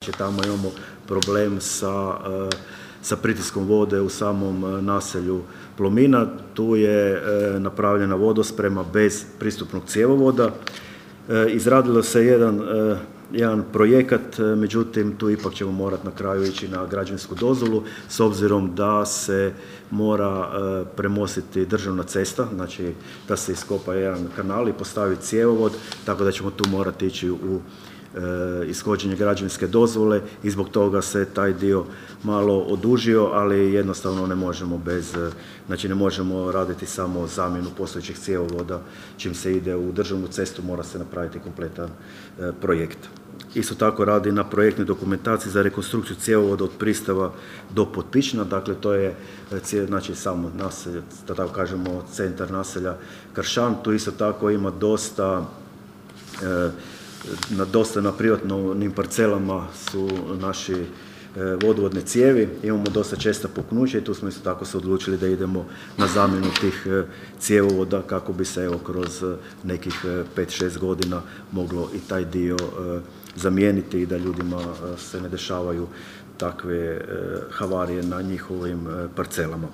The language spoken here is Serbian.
Tamo imamo problem sa pritiskom vode u samom naselju Plomina. Tu je napravljena vodosprema bez pristupnog cjevovoda. Izradilo se jedan projekat, međutim tu ipak ćemo morati na kraju ići na građevinsku dozvolu s obzirom da se mora premostiti državna cesta, znači da se iskopa jedan kanal i postavi cjevovod, tako da ćemo tu morati ići u ishođenje građevinske dozvole i zbog toga se taj dio malo odužio, ali jednostavno ne možemo raditi samo zamjenu postojećih cjevovoda. Čim se ide u državnu cestu mora se napraviti kompletan projekt. Isto tako radi na projektnoj dokumentaciji za rekonstrukciju cjevovoda od Pristava do Potpična, dakle to je samo naselje, da tako kažemo centar naselja Kršan. Tu isto tako ima dosta na privatnim parcelama su naši vodovodne cijevi, imamo dosta česta puknuća i tu smo isto tako se odlučili da idemo na zamjenu tih cjevovoda kako bi se kroz nekih 5-6 godina moglo i taj dio zamijeniti i da ljudima se ne dešavaju takve havarije na njihovim parcelama.